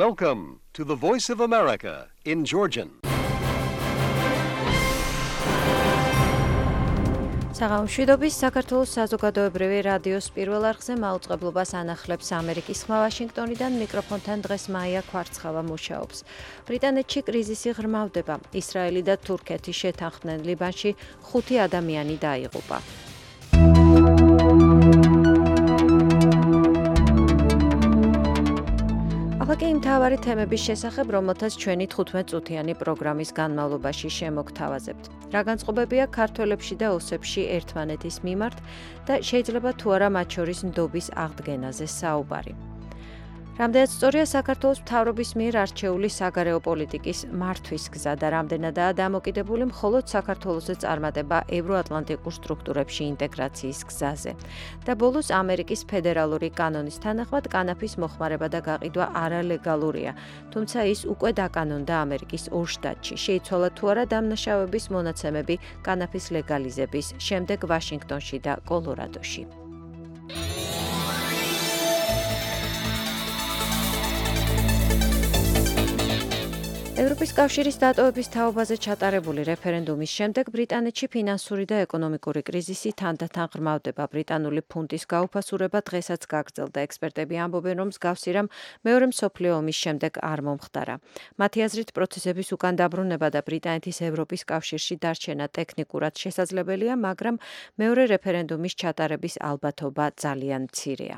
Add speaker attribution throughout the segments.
Speaker 1: Welcome to the Voice of America in Georgian.
Speaker 2: საღამოშვიდობის საქართველოს საზოგადოებრივი რადიოს პირველ არხზე მაუწყებლობას ანახლებს ამერიკის ხმა ვაშინგტონიდან მიკროფონთან დღეს მაია ქვარცხავა მუშაობს. ბრიტანეთში კრიზისი ღრმავდება. ისრაელი და თურქეთი შეთანხმდნენ ლიბანში 5 ადამიანი დაიღუპა. ახლა კი მთავარი თემების შესახებ, რომელთაც ჩვენი 15 წუთიანი პროგრამის განმავლობაში შემოგთავაზებთ. რა განწყობებია ქართველებში და ოსებში ერთმანეთის მიმართ და შეიძლება თუ არა მათ შორის ნდობის აღდგენაზე საუბარი. რამდენად სწორია საქართველოს მთავრობის მიერ არჩეული საგარეო პოლიტიკის მართვის გზა და რამდენადაა დამოკიდებული მხოლოდ საქართველოსზე წარმატება ევროატლანტიკურ სტრუქტურებში ინტეგრაციის გზაზე. და ბოლოს ამერიკის ფედერალური კანონის თანახმად კანაფის მოხმარება და გაყიდვა არალეგალურია, თუმცა ის უკვე დაკანონდა ამერიკის ორ შტატში. შეიცვალა თუ არა დამნაშავების მონაცემები კანაფის ლეგალიზების შემდეგ ვაშინგტონში და კოლორადოში. ევროპის კავშირის დატოვების თაობაზე ჩატარებული რეფერენდუმის შემდეგ ბრიტანეთში ფინანსური და ეკონომიკური კრიზისი თანდათან ღრმავდება. ბრიტანული ფუნტის გაუფასურება დღესაც გაგრძელდა. ექსპერტები ამბობენ, რომ მსგავსი რამ მეორე მსოფლიო ომის შემდეგ არ მომხდარა. მათი აზრით, პროცესების უკან დაბრუნება და ბრიტანეთის ევროპის კავშირში დარჩენა ტექნიკურად შესაძლებელია, მაგრამ მეორე რეფერენდუმის ჩატარების ალბათობა ძალიან მცირეა.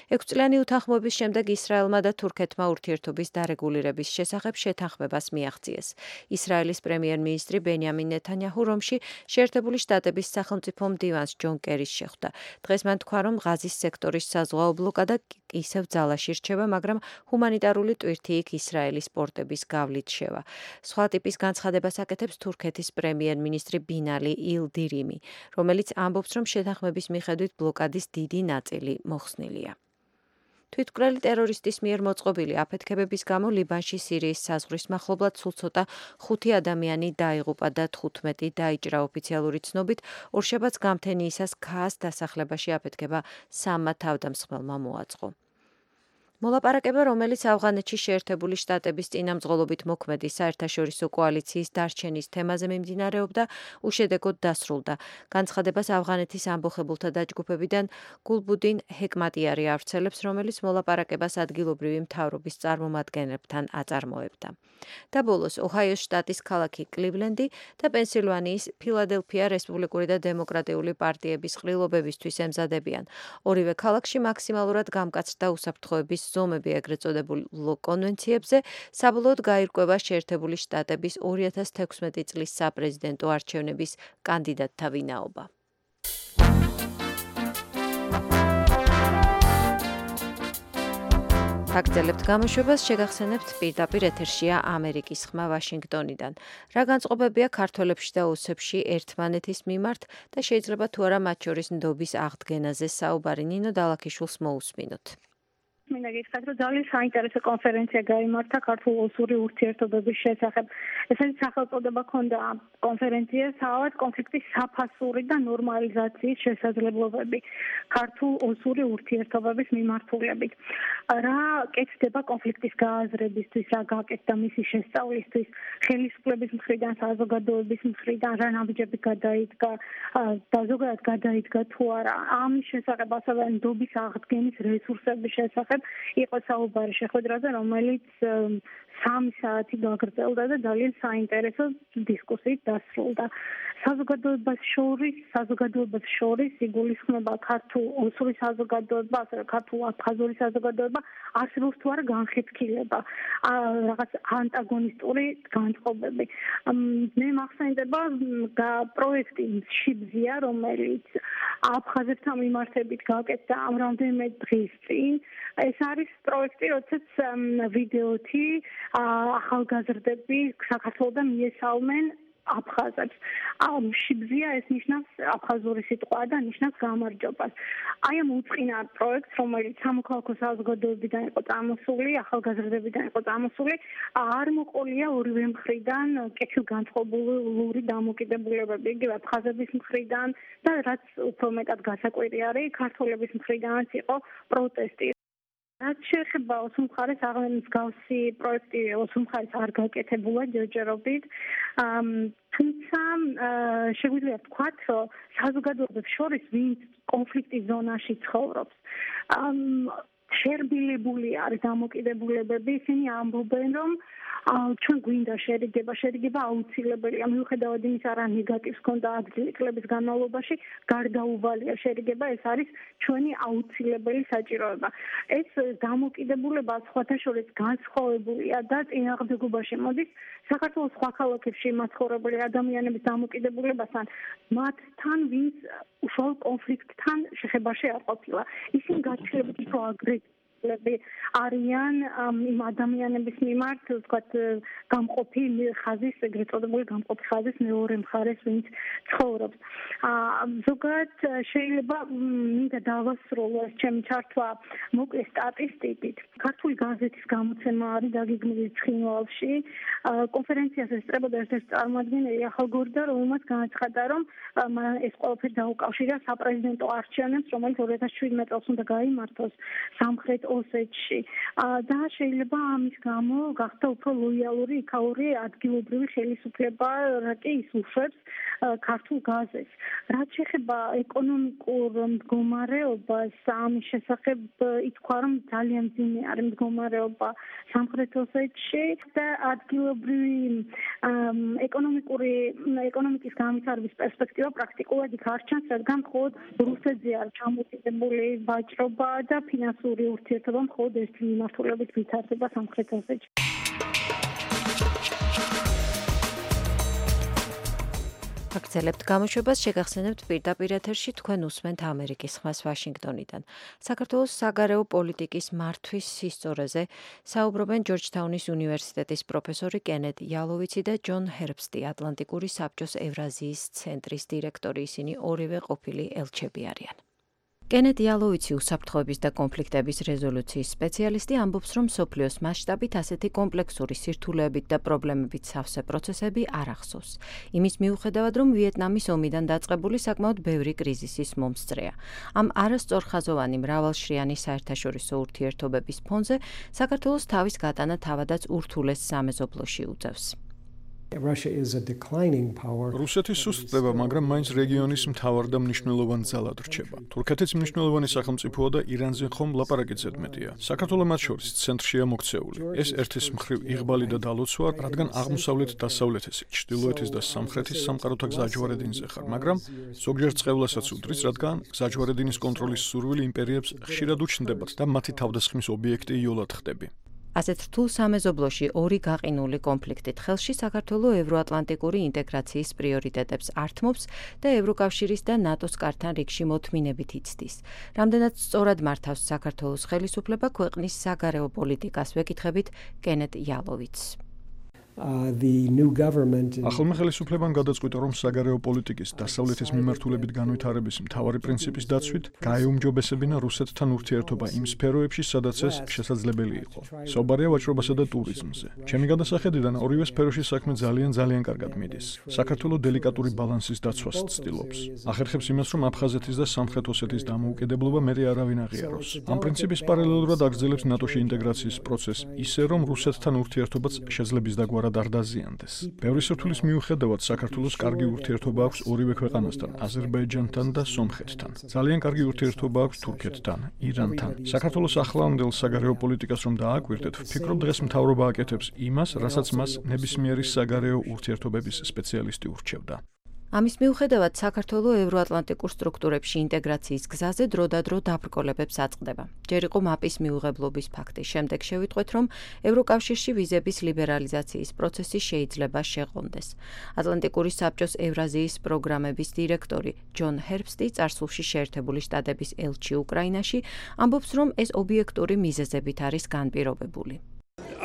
Speaker 2: 6 წლიანი უთანხმოების შემდეგ ისრაელმა და თურქეთმა ურთიერთობის დარეგულირების შესახებ შეთანხმებას მიაღწიეს. ისრაელის პრემიერ-მინისტრი ბენიამინ ნეთანიაჰუ რომში შეერთებული შტატების სახელმწიფო მდივანს ჯონ კერის შეხვდა. დღეს მან თქვა, რომ ღაზის სექტორის საზღვაო ბლოკადა ისევ ძალაში რჩება, მაგრამ ჰუმანიტარული ტვირთი იქ ისრაელის პორტების გავლით შევა. სხვა ტიპის განცხადებას აკეთებს თურქეთის პრემიერ-მინისტრი ბინალი ილდირიმი, რომელიც ამბობს, რომ შეთანხმების მიხედვით ბლოკადის დიდი ნაწილი მოხსნილია. თვითმკვლელი ტერორისტის მიერ მოწყობილი აფეთქებების გამო ლიბანში სირიის საზღვრის მახლობლად სულ ცოტა 5 ადამიანი დაიღუპა და 15 დაიჭრა. ოფიციალური ცნობით, ორშაბათს გამთენიისას ქაას დასახლებაში აფეთქება 3 თავდამსხმელმა მოაწყო. მოლაპარაკება, რომელიც ავღანეთში შეერთებული შტატების წინამძღოლობით მოქმედი საერთაშორისო კოალიციის დარჩენის თემაზე მიმდინარეობდა, უშედეგოდ დასრულდა. განცხადებას ავღანეთის ამბოხებულთა დაჯგუფებიდან გულბუდინ ჰეკმატიარი ავრცელებს, რომელიც მოლაპარაკებას ადგილობრივი მთავრობის წარმომადგენლებთან აწარმოებდა. და ბოლოს ოჰაიოს შტატის ქალაქი კლივლენდი და პენსილვანიის ფილადელფია რესპუბლიკური და დემოკრატიული პარტიების ყრილობებისთვის ემზადებიან. ორივე ქალაქში მაქსიმალურად გამკაცრდა უსაფრთხოების ზომები ეგრეთ წოდებულ კონვენციებზე, საბოლოოდ გაირკვევა შეერთებული შტატების 2016 წლის საპრეზიდენტო არჩევნების კანდიდატთა ვინაობა. გაგრძელებთ გამოშვებას, შეგახსენებთ პირდაპირ ეთერშია ამერიკის ხმა ვაშინგტონიდან. რა განწყობებია ქართველებში და ოსებში ერთმანეთის მიმართ და შეიძლება თუ არა მათ შორის ნდობის აღდგენაზე საუბარი. ნინო დალაქიშვილს მოусმინოთ.
Speaker 3: მინდა გითხრათ, რომ ძალიან საინტერესო კონფერენცია გაიმართა ქართულ-ოსური ურთიერთობების შესახებ. ეს არის სახელწოდება ჰქონდა კონფერენციას, სადაც კონფლიქტის საფასური და ნორმალიზაციის შესაძლებლობები ქართულ-ოსური ურთიერთობების მიმართულებით. რა კეთდება კონფლიქტის გააზრებისთვის, რა გაკეთდა მისი შესწავლისთვის, ხელისუფლების მხრიდან, საზოგადოების მხრიდან, რა ნაბიჯები გადაიდგა და ზოგადად გადაიდგა თუ არა. ამის შესახებ ასევე ნდობის აღდგენის რესურსების შესახებ იყო საუბარი შეხვედრაზე, რომელიც 3 საათი გაგრძელდა და ძალიან საინტერესო დისკუსიით დასრულდა. საზოგადოებას შორის იგულისხმება ქართულ-ოსური საზოგადოება, ასევე ქართულ-აფხაზური საზოგადოება, არსებობს თუ არა განხეთქილება, რაღაც ანტაგონისტური განწყობები. მე მახსენდება პროექტი შიბზია, რომელიც აფხაზებთან მიმართებით გაკეთდა ამ რამდენიმე დღის წინ. ეს არის პროექტი, როდესაც ვიდეოთი ახალგაზრდები საქართველოდან მიესალმენ აფხაზებს. შიბზია ეს ნიშნავს აფხაზური სიტყვა და ნიშნავს გამარჯვებას. აი ამ უწყინა პროექტს, რომელიც სამოქალაქო საზოგადოებიდან იყო წამოსული, ახალგაზრდებიდან იყო წამოსული, არ მოყოლია ორივე მხრიდან კეთილგანწყობლური დამოკიდებულებები, იგივე აფხაზების მხრიდან და რაც უფრო მეტად გასაკვირი არის, ქართველების მხრიდანაც იყო პროტესტი. რაც შეეხება ოსმალხარეს მსგავსი პროექტი ოსმალხარეს არ გაკეთებულა ჯერჯერობით. თუმცა შეგვიძლია ვთქვათ, რომ საზოგადოებებს შორის ვინც კონფლიქტის ზონაში ცხოვრობს, შერბილებული არის დამოკიდებულებები, ისინი ამბობენ, რომ ჩვენ გვინდა შერიგება აუცილებელია, მიუხედავად იმისა, რა ნეგატივს ჰქონდა წლების განმავლობაში, გარდაუვალია შერიგება, ეს არის ჩვენი აუცილებელი საჭიროება. ეს დამოკიდებულება სხვათა შორის განსხვავებულია და წინააღმდეგობაში მოდის საქართველოს სხვა ქალაქებში მაცხოვრებელი ადამიანების დამოკიდებულებასთან, მათთან, ვინც უშუალო კონფლიქტთან შეხებაში არ ყოფილა. ისინი გაჩნდებიან უფრო აგრესიულები არიან იმ ადამიანების მიმართ, ვთქვათ, გამყოფი ხაზის, ეგრეთ წოდებული გამყოფი ხაზის მეორე მხარეს, ვინც ცხოვრობს. ზოგადად შეიძლება მინდა დავასრულო ეს ჩემი ჩართვა მოკლე სტატისტიკით. ქართული გაზეთის გამოცემა არის დაგეგმილი ცხინვალში. კონფერენციას ესწრებოდა ერთ-ერთი წარმომადგენელი ახალგორდა, რომელმაც განაცხადა, რომ ეს ყველაფერი დაუკავშირა საპრეზიდენტო არჩევნებს, რომელიც 2017 წელს უნდა გაიმართოს სამხრეთ ოსეთში. და შეიძლება ამის გამო გახდა უფრო ლოიალური იქაური ადგილობრივი ხელისუფლება, რა კი ის უშვებს ქართულ გაზეთს. რაც შეეხება ეკონომიკურ მდგომარეობას, ამის შესახებ ითქვა, რომ ძალიან მძიმე არის მდგომარეობა სამხრეთ ოსეთში და ადგილობრივი ეკონომიკის განვითარების პერსპექტივა პრაქტიკულად იქ არ ჩანს, რადგან მხოლოდ რუსეთზე არის ჩამოკიდებული ვაჭრობა და ფინანსური ურთიერთობა მხოლოდ ერთი მიმართულებით ვითარდება სამხრეთ ოსეთში.
Speaker 2: აგრძელებთ გამოშვებას, შეგახსენებთ პირდაპირ ეთერში თქვენ უსმენთ ამერიკის ხმას ვაშინგტონიდან. საქართველოს საგარეო პოლიტიკის მართვის სისწორეზე საუბრობენ ჯორჯთაუნის უნივერსიტეტის პროფესორი კენედ იალოვიცი და ჯონ ჰერბსტი, ატლანტიკური საბჭოს ევრაზიის ცენტრის დირექტორი. ისინი ორივე ყოფილი ელჩები არიან. კენედ იალოვიცი, უსაფრთხოების და კონფლიქტების რეზოლუციის სპეციალისტი, ამბობს, რომ მსოფლიოს მასშტაბით ასეთი კომპლექსური სირთულეებით და პრობლემებით სავსე პროცესები არ ახსოვს. იმის მიუხედავად, რომ ვიეტნამის ომიდან დაწყებული საკმაოდ ბევრი კრიზისის მომსწრეა. ამ არასწორხაზოვანი მრავალშრიანი საერთაშორისო ურთიერთობების ფონზე საქართველოს თავის გატანა თავადაც ურთულეს სამეზობლოში უწევს.
Speaker 4: რუსეთის სუსტდება, მაგრამ მაინც რეგიონის მთავარ და მნიშვნელოვან ძალად რჩება. თურქეთიც მნიშვნელოვანი სახელმწიფოა და ირანზე ხომ ლაპარაკიც ზედმეტია. საქართველო მათ შორის ცენტრშია მოქცეული. ეს ერთის მხრივ იღბალი და დალოცვა, რადგან აღმოსავლეთ-დასავლეთის, ჩრდილოეთის და სამხრეთის სამყაროთა გზაჯვარედინზე ხარ, მაგრამ ზოგჯერ წყევლასაც უდრის, რადგან გზაჯვარედინის კონტროლის სურვილი იმპერიებს ხშირად უჩნდებათ და მათი თავდასხმის ობიექტი იოლად ხდები.
Speaker 2: ასეთ რთულ სამეზობლოში ორი გაყინული კონფლიქტით ხელში საქართველო ევროატლანტიკური ინტეგრაციის პრიორიტეტებს ართმობს და ევროკავშირის და ნატოს კართან რიგში მოთმინებით იცდის. რამდენად სწორად მართავს საქართველოს ხელისუფლება ქვეყნის საგარეო პოლიტიკას, ვეკითხებით კენედ იალოვიცს.
Speaker 4: ახალმა ხელისუფლებამ გადაწყვიტა, რომ საგარეო პოლიტიკის დასავლეთის მიმართულებით განვითარების მთავარი პრინციპის დაცვით გაეუმჯობესებინა რუსეთთან ურთიერთობა იმ სფეროებში, სადაც ეს შესაძლებელი იყო. საუბარია ვაჭრობასა და ტურიზმზე. ჩემი გადასახედიდან ორივე სფეროში საქმე ძალიან კარგად მიდის. საქართველო დელიკატური ბალანსის დაცვას ცდილობს. ახერხებს იმას, რომ აფხაზეთის და სამხრეთ ოსეთის დამოუკიდებლობა მერე არავინ აღიაროს. ამ პრინციპის პარალელურად აგრძელებს ნატოში ინტეგრაციის პროცესს, ისე რომ რუსეთთან ურთიერთობაც შეძლების დაგვარად არ დაზიანდეს. ბევრი სირთულის მიუხედავად საქართველოს კარგი ურთიერთობა აქვს ორივე ქვეყანასთან, აზერბაიჯანთან და სომხეთთან. ძალიან კარგი ურთიერთობა აქვს თურქეთთან, ირანთან. საქართველოს ახლანდელ საგარეო პოლიტიკას რომ დააკვირდეთ, ვფიქრობ დღეს მთავრობა აკეთებს იმას, რასაც მას ნებისმიერი საგარეო ურთიერთობების სპეციალისტი ურჩევდა.
Speaker 2: ამის მიუხედავად საქართველო ევროატლანტიკურ სტრუქტურებში ინტეგრაციის გზაზე დროდადრო დაბრკოლებებს აწყდება. ჯერ იყო მაპის მიუღებლობის ფაქტი. შემდეგ შევიტყვეთ, რომ ევროკავშირში ვიზების ლიბერალიზაციის პროცესი შეიძლება შეყონდეს. ატლანტიკური საბჭოს ევრაზიის პროგრამების დირექტორი ჯონ ჰერბსტი წარსულში შეერთებული შტატების ელჩი უკრაინაში ამბობს, რომ ეს ობიექტური მიზეზებით არის განპირობებული.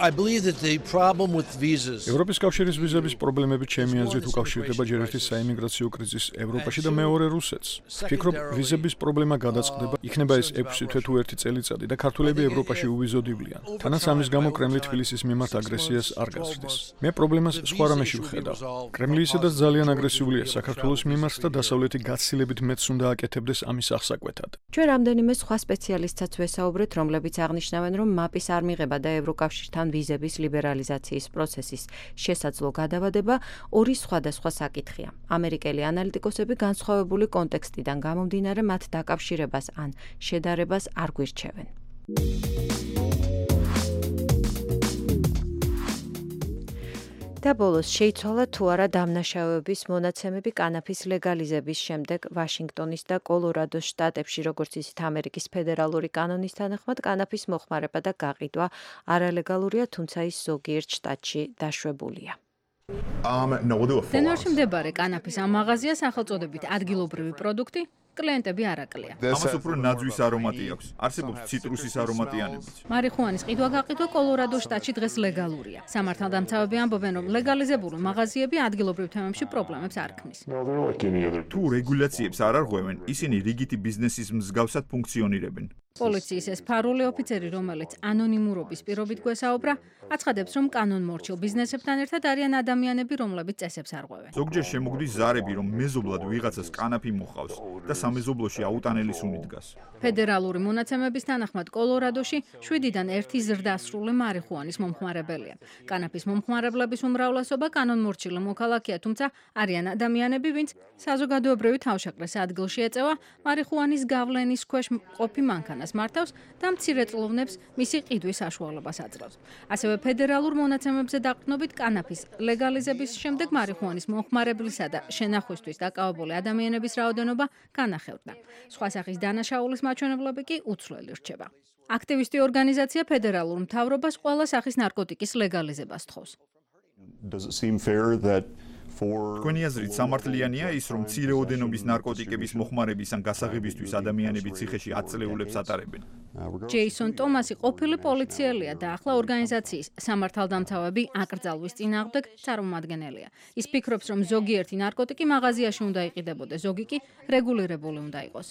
Speaker 5: I believe that the problem with visas
Speaker 4: ევროპის კავშირის ვიზების პრობლემები ჩემი აზრით უკავშირდება ჯერ ერთი საიმიგრაციო კრიზისს ევროპაში და მეორე რუსეთს. ვფიქრობ, ვიზების პრობლემა გადაწყდება, იქნება ეს 6 თვე თუ 1 წელიწადი და ქართველები ევროპაში უვიზოდივლიან. თანაც ამის გამო კრემლი თბილისის მიმართ აგრესიას არ გაზრდის. მე პრობლემას სხვა რამეში ვხედავ. კრემლი ისედაც ძალიან აგრესიულია საქართველოს მიმართ და დასავლეთი გაცილებით მეც უნდა აკეთებდეს ამის აღსაკვეთად.
Speaker 2: ჩვენ რამდენიმე სხვა სპეციალისტსაც ვესაუბრეთ, რომლებიც აღნიშნავენ, რომ მაპის არ მიღება და ევროკავშირთან ვიზების ლიბერალიზაციის პროცესის შესაძლო გადავადება ორი სხვადასხვა საკითხია. ამერიკელი ანალიტიკოსები განსხვავებული კონტექსტიდან გამომდინარე მათ დაკავშირებას ან შედარებას არ გვირჩევენ. და ბოლოს შეიცვალა თუ არა დამნაშავეობის მონაცემები კანაფის ლეგალიზების შემდეგ ვაშინგტონის და კოლორადოს შტატებში, როგორც ისიც ამერიკის ფედერალური კანონის თანახმად, კანაფის მოხმარება და გაყიდვა არალეგალურია, თუმცა ის ზოგიერთ შტატში დაშვებულია.
Speaker 6: დენვერში მდებარე კანაფის ამ მაღაზია სახელწოდებით ადგილობრივი პროდუქტი კლიენტები არაკლია.
Speaker 7: ამას უფრო ნაძვის არომატი აქვს. არსებობს ციტრუსის არომატიანებიც.
Speaker 6: მარიხუანის ყიდვა-გაყიდვა კოლორადოს შტატში დღეს ლეგალურია. სამართალდამცავები ამბობენ, რომ ლეგალიზებული მაღაზიები ადგილობრივ თემებში პრობლემებს არ ქმნის.
Speaker 7: თუ რეგულაციებს არ არღვევენ, ისინი რიგითი ბიზნესის მსგავსად ფუნქციონირებენ.
Speaker 6: პოლიციის ეს ფარული ოფიცერი, რომელიც ანონიმურობის პირობით გვესაუბრა, აცხადებს, რომ კანონმორჩილ ბიზნესებთან ერთად არიან ადამიანები, რომლებიც წესებს არღვევენ.
Speaker 7: ზოგჯერ შემოგვდის ზარები, რომ მეზობლად ვიღაცას კანაფი მოყავს და სამეზობლოში აუტანელი სუნი დგას.
Speaker 6: ფედერალური მონაცემების თანახმად კოლორადოში 7-დან 1 ზრდასრული მარიხუანის მომხმარებელია. კანაფის მომხმარებლების უმრავლესობა კანონმორჩილი მოქალაქეა, თუმცა არიან ადამიანები, ვინც საზოგადოებრივი თავშეყრის ადგილში ეწევა მარიხუანის გავლენის ქვეშ ყოფი მანქანას მართავს და მცირეწლოვნებს მისი ყიდვის საშუალებას აძლევს. ასევე ფედერალურ მონაცემებზე დაყრდნობით კანაფის ლეგალიზების შემდეგ მარიხუანის მომხმარებლისა და შენახვისთვის დაკავებული ადამიანების რაოდენობა განახევდა. სხვა სახის დანაშაულის მაჩვენებლები კი უცვლელი რჩება. აქტივისტი ორგანიზაცია ფედერალურ მთავრობას ყველა სახის ნარკოტიკის ლეგალიზებას თხოვს.
Speaker 7: თქვენი აზრით სამართლიანია ის, რომ მცირეოდენობის ნარკოტიკების მოხმარების ან გასაღებისთვის ადამიანები ციხეში 10 წლეულებს ატარებენ?
Speaker 6: ჯეისონ ტომასი ყოფილი პოლიციელია და ახლა ორგანიზაციის სამართალდამცავები აკრძალვის წინააღმდეგ წარმომადგენელია. ის ფიქრობს, რომ ზოგიერთი ნარკოტიკი მაღაზიაში უნდა იყიდებოდეს, ზოგი კი რეგულირებული უნდა იყოს.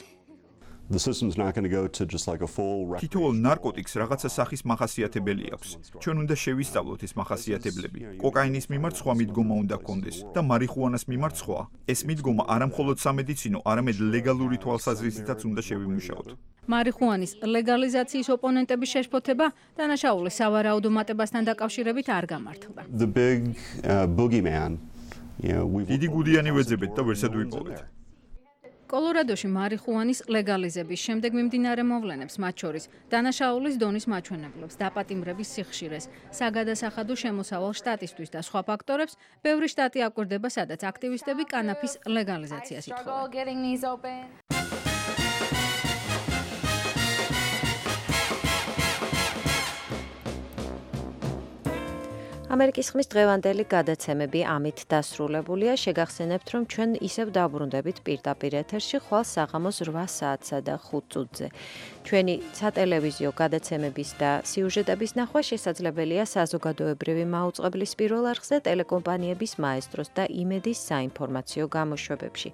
Speaker 7: თითოეულ ნარკოტიკს რაღაცა სახის მახასიათებელი აქვს. ჩვენ უნდა შევისწავლოთ ეს მახასიათებლები. კოკაინის მიმართ სხვა მიდგომა უნდა გქონდეს და მარიხუანას მიმართ სხვა. ეს მიდგომა არა მხოლოდ სამედიცინო, არამედ ლეგალური თვალსაზრისითაც უნდა შევიმუშაოთ.
Speaker 6: მარიხუანის ლეგალიზაციის ოპონენტების შეშფოთება დანაშაულის სავარაუდო მატებასთან დაკავშირებით არ გამართლდა.
Speaker 7: დიდი გუდიანი ვეძებეთ და ვერსად ვიპოვეთ.
Speaker 6: კოლორადოში მარიხუანის ლეგალიზების შემდეგ მიმდინარე მოვლენებს, მათ შორის დანაშაულის დონის მაჩვენებლებს, დაპატიმრების სიხშირეს, საგადასახადო შემოსავალ შტატისთვის და სხვა ფაქტორებს, ბევრი შტატი აკვირდება, სადაც აქტივისტები კანაფის ლეგალიზაციას ითხოვენ.
Speaker 2: ამერიკის ხმის დღევანდელი გადაცემები ამით დასრულებულია. შეგახსენებთ, რომ ჩვენ ისევ დაბრუნდებით პირდაპირ ეთერში ხვალ საღამოს 8 საათსა და 5 წუთზე. ჩვენი სატელევიზიო გადაცემების და სიუჟეტების ნახვა შესაძლებელია საზოგადოებრივი მაუწყებლის პირველ არხზე, ტელეკომპანიების მაესტროს და იმედის საინფორმაციო გამოშვებებში.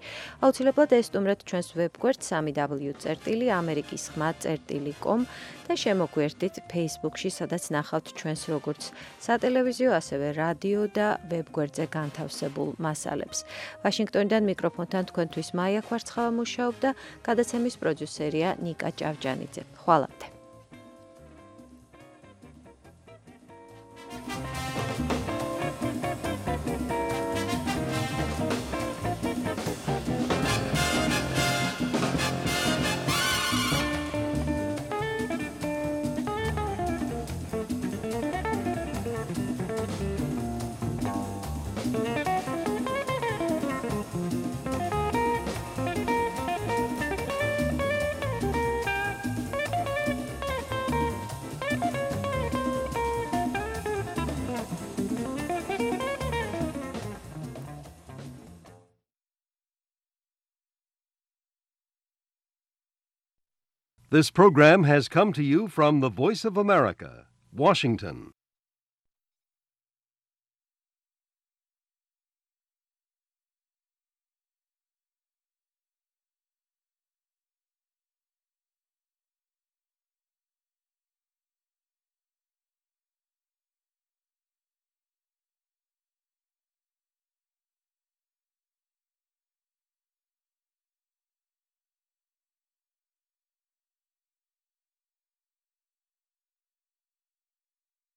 Speaker 2: აუცილებლად ესტუმრეთ ჩვენს ვებგვერდს www.amerikisxma.com და შემოგვერთდით Facebook-ში, სადაც ნახავთ ჩვენს როგორც სატელევიზიო ასევე რადიო და ვებგვერდზე განთავსებულ მასალებს. ვაშინგტონიდან მიკროფონთან თქვენთვის მაია კვარცხავა მუშაობდა, გადაცემის პროდიუსერია ნიკა ჭავჭანიძე. ხვალამდე.
Speaker 1: This program has come to you from the Voice of America, Washington.